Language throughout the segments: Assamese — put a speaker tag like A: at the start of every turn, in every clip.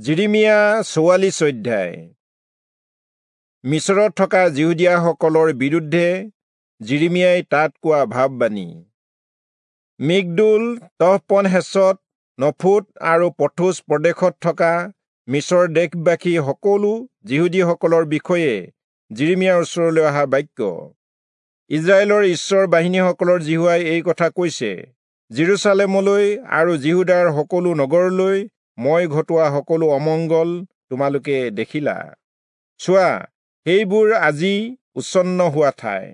A: যিৰিমিয়া 44 অধ্যায়। মিচৰত থকা যিহুদীয়াসকলৰ বিৰুদ্ধে যিৰিমিয়াই তাত কোৱা ভাববাণী। মিগদোল, তহপনহেচত, নফুত আৰু পথোচ প্ৰদেশত থকা মিচৰ দেশবাসী সকলো যিহুদীসকলৰ বিষয়ে যিৰিমিয়াৰ ওচৰলৈ অহা বাক্য। ইজৰাইলৰ ঈশ্বৰ বাহিনীসকলৰ যিহোৱাই এই কথা কৈছে, যিৰূচালেমলৈ আৰু যিহূদাৰ সকলো নগৰলৈ মই ঘটোৱা সকলো অমংগল তোমালোকে দেখিলা। চোৱা, সেইবোৰ আজি উচ্ছন্ন হোৱা ঠাই,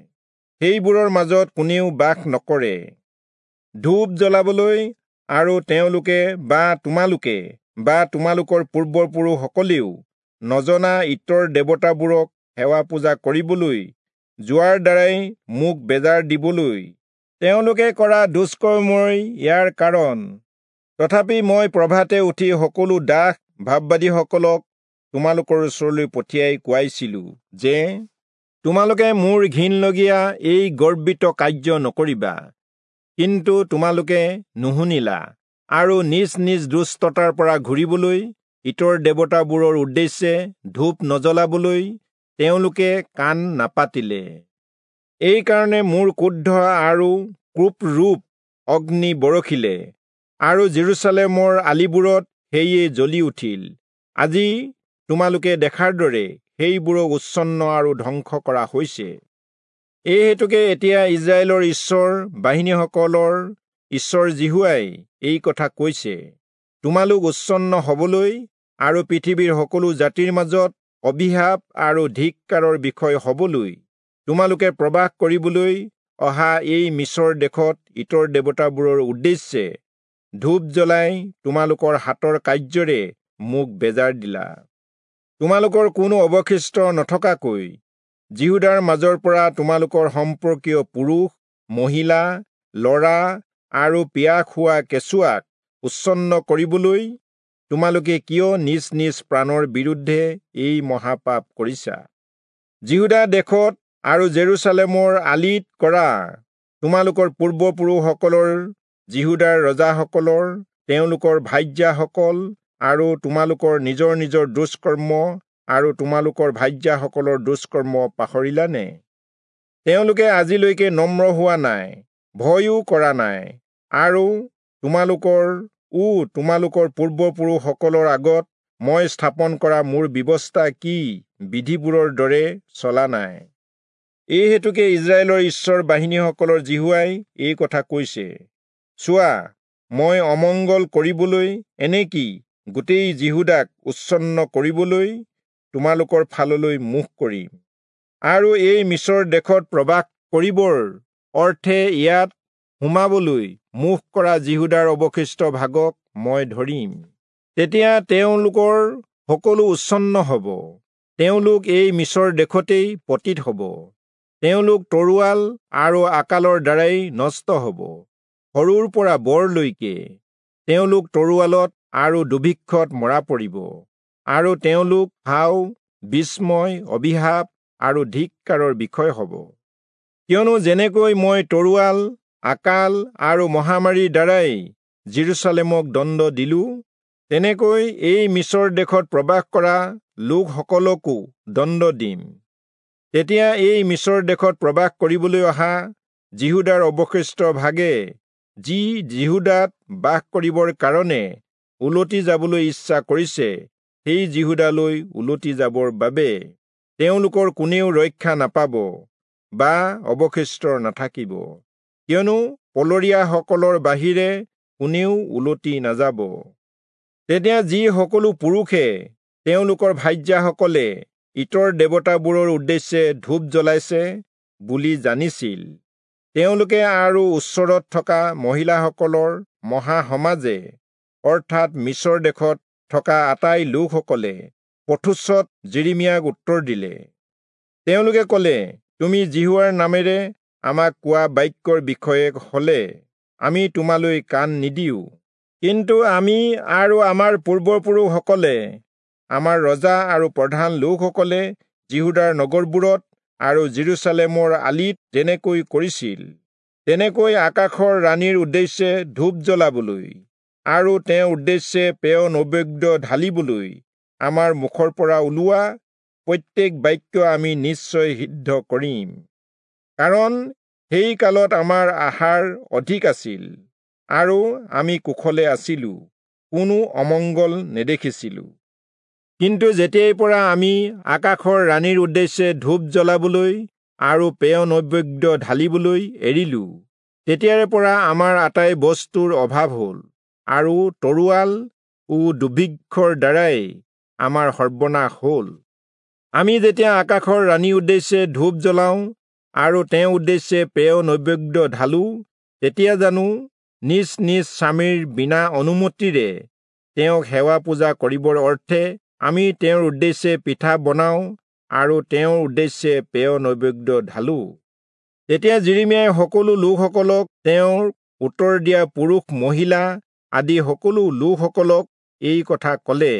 A: সেইবোৰৰ মাজত কোনেও বাস নকৰে। ধূপ জ্বলাবলৈ আৰু তেওঁলোকে বা তোমালোকে বা তোমালোকৰ পূৰ্বপুৰুষসকলেও নজনা ইতৰ দেৱতাবোৰক সেৱা পূজা কৰিবলৈ যোৱাৰ দ্বাৰাই মোক বেজাৰ দিবলৈ তেওঁলোকে কৰা দুষ্কৰ্মই ইয়াৰ কাৰণ। তথাপি মই প্ৰভাতে উঠি সকলো দাস ভাববাদীসকলক তোমালোকৰ ওচৰলৈ পঠিয়াই কোৱাইছিলো যে, তোমালোকে মোৰ ঘিণলগীয়া এই গৰ্বিত কাৰ্য নকৰিবা। কিন্তু তোমালোকে নুশুনিলা আৰু নিজ নিজ দুষ্টতাৰ পৰা ঘূৰিবলৈ ইতৰ দেৱতাবোৰৰ উদ্দেশ্যে ধূপ নজ্বলাবলৈ তেওঁলোকে কাণ নাপাতিলে। এইকাৰণে মোৰ ক্ৰোধ আৰু কোপৰূপ অগ্নি বৰষিলে আৰু যিৰূচালেমৰ আলিবোৰত সেয়ে জ্বলি উঠিল। আজি তোমালোকে দেখাৰ দৰে সেইবোৰক উচ্ছন্ন আৰু ধ্বংস কৰা হৈছে। এই হেতুকে এতিয়া ইজৰাইলৰ ঈশ্বৰ বাহিনীসকলৰ ঈশ্বৰ যিহোৱাই এই কথা কৈছে, তোমালোক উচ্ছন্ন হবলৈ আৰু পৃথিৱীৰ সকলো জাতিৰ মাজত অভিশাপ আৰু ধিক্কাৰৰ বিষয় হবলৈ তোমালোকে প্ৰবাস কৰিবলৈ অহা এই মিচৰ দেশত ইতৰ দেৱতাবোৰৰ উদ্দেশ্যে ধূপ জ্বলাই তোমালোকৰ হাতৰ কাৰ্যৰে মোক বেজাৰ দিলা। তোমালোকৰ কোনো অৱশিষ্ট নথকাকৈ যিহূদাৰ মাজৰ পৰা তোমালোকৰ সম্পৰ্কীয় পুৰুষ, মহিলা, ল'ৰা আৰু পিয়াহ খোৱা কেঁচুৱাক উচ্ছন্ন কৰিবলৈ তোমালোকে কিয় নিজ নিজ প্ৰাণৰ বিৰুদ্ধে এই মহাপাপ কৰিছা? যিহূদা দেশত আৰু জেৰুচালেমৰ আলিত কৰা তোমালোকৰ পূৰ্বপুৰুষসকলৰ, যিহূদাৰ ৰজাসকলৰ, তেওঁলোকৰ ভাৰ্যাসকল আৰু তোমালোকৰ নিজৰ নিজৰ দুষ্কৰ্ম আৰু তোমালোকৰ ভাৰ্যাসকলৰ দুষ্কৰ্ম পাহৰিলানে? তেওঁলোকে আজিলৈকে নম্ৰ হোৱা নাই, ভয়ো কৰা নাই, আৰু তোমালোকৰ পূৰ্বপুৰুষসকলৰ আগত মই স্থাপন কৰা মোৰ ব্যৱস্থা কি বিধিবোৰৰ দৰে চলা নাই। এই হেতুকে ইজৰাইলৰ ঈশ্বৰ বাহিনীসকলৰ যিহোৱাই এই কথা কৈছে, চোৱা, মই অমংগল কৰিবলৈ, এনেকি গোটেই যিহূদাক উচ্ছন্ন কৰিবলৈ তোমালোকৰ ফাললৈ মুখ কৰিম, আৰু এই মিচৰ দেশত প্ৰবাস কৰিবৰ অৰ্থে ইয়াত সোমাবলৈ মুখ কৰা যিহূদাৰ অৱশিষ্ট ভাগক মই ধৰিম। তেতিয়া তেওঁলোকৰ সকলো উচ্ছন্ন হ'ব, তেওঁলোক এই মিচৰ দেশতেই পতিত হ'ব, তেওঁলোক তৰোৱাল আৰু আকালৰ দ্বাৰাই নষ্ট হ'ব, সৰুৰ পৰা বৰলৈকে তেওঁলোক তৰোৱালত আৰু দুৰ্ভিক্ষত মৰা পৰিব, আৰু তেওঁলোক হাও, বিস্ময়, অভিশাপ আৰু ধিক্কাৰৰ বিষয় হ'ব। কিয়নো যেনেকৈ মই তৰোৱাল, আকাল আৰু মহামাৰীৰ দ্বাৰাই যিৰূচালেমক দণ্ড দিলো, তেনেকৈ এই মিচৰ দেশত প্ৰবাস কৰা লোকসকলকো দণ্ড দিম। তেতিয়া এই মিচৰ দেশত প্ৰবাস কৰিবলৈ অহা যিহূদাৰ অৱশিষ্ট ভাগে, যি যিহূদাত বাস কৰিবৰ কাৰণে উলটি যাবলৈ ইচ্ছা কৰিছে, সেই যিহূদালৈ উলটি যাবৰ বাবে তেওঁলোকৰ কোনেও ৰক্ষা নাপাব বা অৱশিষ্ট নাথাকিব, কিয়নো পলৰীয়াসকলৰ বাহিৰে কোনেও উলটি নাযাব। তেতিয়া যি সকলো পুৰুষে তেওঁলোকৰ ভাৰ্যাসকলে ইতৰ দেৱতাবোৰৰ উদ্দেশ্যে ধূপ জ্বলাইছে বুলি জানিছিল, তেওঁলোকে আৰু ওচৰত থকা মহিলাসকলৰ মহাসমাজে, অৰ্থাৎ মিচৰ দেশত থকা আটাই লোকসকলে পথোচত যিৰিমিয়াক উত্তৰ দিলে। তেওঁলোকে ক'লে, তুমি যিহোৱাৰ নামেৰে আমাক কোৱা বাক্যৰ বিষয়ে হ'লে আমি তোমালৈ কাণ নিদিওঁ, কিন্তু আমি আৰু আমাৰ পূৰ্বপুৰুষসকলে, আমাৰ ৰজা আৰু প্ৰধান লোকসকলে যিহূদাৰ নগৰবোৰত আৰু যিৰূচালেমৰ আলিত যেনেকৈ কৰিছিল, তেনেকৈ আকাশৰ ৰাণীৰ উদ্দেশ্যে ধূপ জ্বলাবলৈ আৰু তেওঁৰ উদ্দেশ্যে পেয় নৈবেদ্য ঢালিবলৈ আমাৰ মুখৰ পৰা ওলোৱা প্ৰত্যেক বাক্য আমি নিশ্চয় সিদ্ধ কৰিম। কাৰণ সেই কালত আমাৰ আহাৰ অধিক আছিল আৰু আমি কুশলে আছিলো, কোনো অমংগল নেদেখিছিলো। কিন্তু যেতিয়াৰ পৰা আমি আকাশৰ ৰাণীৰ উদ্দেশ্যে ধূপ জ্বলাবলৈ আৰু পেয় নৈবেদ্য ঢালিবলৈ এৰিলো, তেতিয়াৰে পৰা আমাৰ আটাই বস্তুৰ অভাৱ হ'ল আৰু তৰোৱাল ও দুৰ্ভিক্ষৰ দ্বাৰাই আমাৰ সৰ্বনাশ হ'ল। আমি যেতিয়া আকাশৰ ৰাণীৰ উদ্দেশ্যে ধূপ জ্বলাওঁ আৰু তেওঁৰ উদ্দেশ্যে পেয় নৈবেদ্য ঢালো, তেতিয়া জানো নিজ নিজ স্বামীৰ বিনা অনুমতিৰে তেওঁক সেৱা পূজা কৰিবৰ অৰ্থে আমি তেওঁৰ উদ্দেশ্যে পিঠা বনাওঁ আৰু তেওঁৰ উদ্দেশ্যে পেয় নৈবেদ্য ঢালো। তেতিয়া যিৰিমিয়াই সকলো লোকসকলক, তেওঁৰ উত্তৰ দিয়া পুৰুষ মহিলা আদি সকলো লোকসকলক এই কথা ক'লে,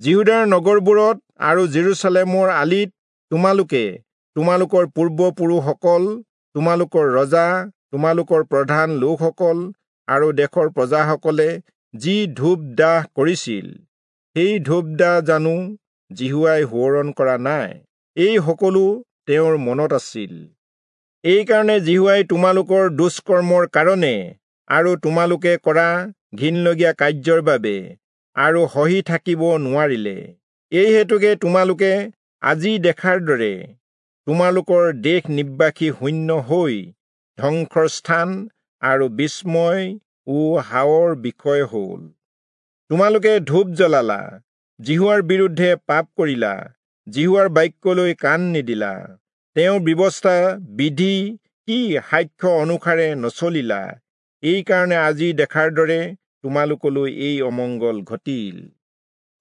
A: যিহূদাৰ নগৰবোৰত আৰু জেৰুচালেমৰ আলিত তোমালোকে তোমালোকৰ পূৰ্বপুৰুষসকল, তোমালোকৰ ৰজা, তোমালোকৰ প্ৰধান লোকসকল আৰু দেশৰ প্ৰজাসকলে যি ধূপ দাহ কৰিছিল, সেই ধূপ দাহ জানো যিহোৱাই সোঁৱৰণ কৰা নাই? এই সকলো তেওঁৰ মনত আছিল। এইকাৰণে যিহোৱাই তোমালোকৰ দুষ্কৰ্মৰ কাৰণে আৰু তোমালোকে কৰা ঘিণলগীয়া কাৰ্যৰ বাবে আৰু সহি থাকিব নোৱাৰিলে। এই হেতুকে তোমালোকে আজি দেখাৰ দৰে তোমালোকৰ দেশ নিবাসী শূন্য হৈ ধ্বংসৰ স্থান আৰু বিস্ময় ও হাৱৰ বিষয় হ'ল। তোমালোকে ধূপ জ্বলালা, যিহোৱাৰ বিৰুদ্ধে পাপ কৰিলা, যিহোৱাৰ বাক্যলৈ কাণ নিদিলা, তেওঁৰ ব্যৱস্থা বিধি কি সাক্ষ্য অনুসাৰে নচলিলা। এইকাৰণে আজি দেখাৰ দৰে তোমালোকলৈ এই অমংগল ঘটিল।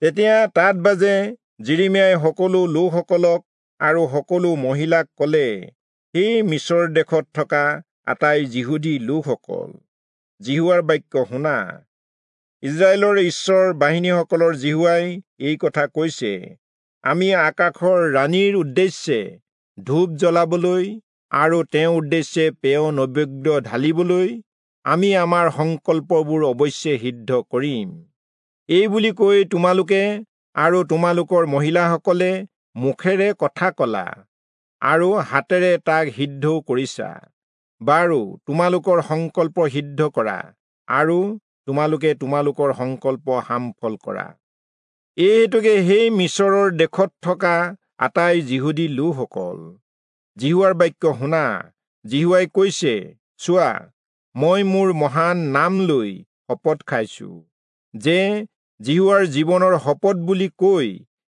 A: তেতিয়া তাত বাজে যিৰিমিয়াই সকলো লোকসকলক আৰু সকলো মহিলাক ক'লে, সেই মিচৰ দেশত থকা আটাই যিহুদী লোকসকল, যিহোৱাৰ বাক্য শুনা। ইজৰাইলৰ ঈশ্বৰ বাহিনীসকলৰ যিহোৱাই এই কথা কৈছে, আমি আকাশৰ ৰাণীৰ উদ্দেশ্যে ধূপ জ্বলাবলৈ আৰু তেওঁৰ উদ্দেশ্যে পেয় নৈবেদ্য ঢালিবলৈ আমি আমাৰ সংকল্পবোৰ অৱশ্যে সিদ্ধ কৰিম। এই বুলি কৈ তোমালোকে আৰু তোমালোকৰ মহিলাসকলে মুখেৰে কথা কলা আৰু হাতেৰে তাক সিদ্ধও কৰিছা। বাৰু, তোমালোকৰ সংকল্প সিদ্ধ কৰা আৰু তোমালোকে তোমালোকৰ সংকল্প সামফল কৰা। এই হেতুকে সেই মিচৰৰ দেশত থকা আটাই যিহুদী লোকসকল, যিহোৱাৰ বাক্য শুনা। যিহোৱাই কৈছে, চোৱা, মই মোৰ মহান নাম লৈ শপত খাইছো যে যিহোৱাৰ জীৱনৰ শপত বুলি কৈ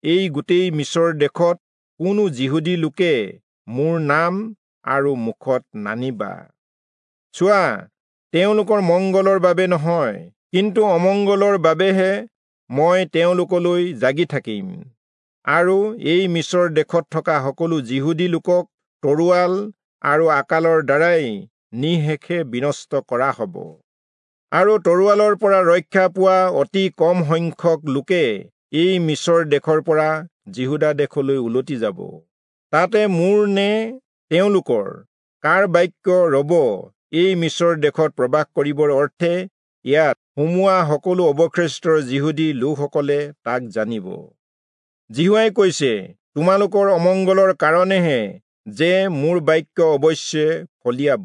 A: এই গোটেই মিচৰ দেশত কোনো যিহুদী লোকে মোৰ নাম আৰু মুখত নানিবা। চোৱা, তেওঁলোকৰ মংগলৰ বাবে নহয়, কিন্তু অমংগলৰ বাবেহে মই তেওঁলোকলৈ জাগি থাকিম আৰু এই মিচৰ দেশত থকা সকলো যিহুদী লোকক তৰোৱাল আৰু আকালৰ দ্বাৰাই নিঃশেষে বিনষ্ট কৰা হ'ব। আৰু তৰোৱালৰ পৰা ৰক্ষা পোৱা অতি কম সংখ্যক লোকে এই মিচৰ দেশৰ পৰা যিহূদা দেশলৈ উলটি যাব। তাতে মোৰ নে তেওঁলোকৰ কাৰ বাক্য ৰব এই মিচৰ দেশত প্ৰৱেশ কৰিবৰ অৰ্থে ইয়াত সোমোৱা সকলো অৱশিষ্টৰ যিহুদী লোকসকলে তাক জানিব। যিহোৱাই কৈছে, তোমালোকৰ অমংগলৰ কাৰণেহে যে মোৰ বাক্য অৱশ্যে ফলিয়াব,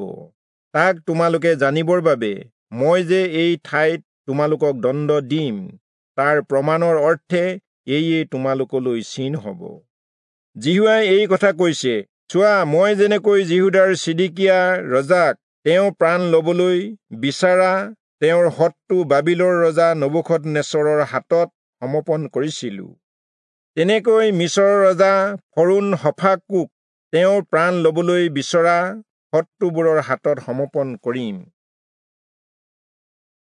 A: তাক তোমালোকে জানিবৰ বাবে মই যে এই ঠাইত তোমালোকক দণ্ড দিম, তাৰ প্ৰমাণৰ অৰ্থে এয়ে তোমালোকলৈ চিন হ'ব। যিহোৱাই এই কথা কৈছে, চোৱা, মই যেনেকৈ যিহূদাৰ চিদিকিয়া ৰজাক তেওঁ প্ৰাণ ল'বলৈ বিচাৰা তেওঁৰ শত্ৰু বাবিলৰ ৰজা নবূখদনেচৰৰ হাতত সমৰ্পণ কৰিছিলো, তেনেকৈ মিচৰৰ ৰজা ফৰৌণ হফাকুক তেওঁৰ প্ৰাণ ল'বলৈ বিচৰা শত্ৰুবোৰৰ হাতত সমৰ্পণ কৰিম।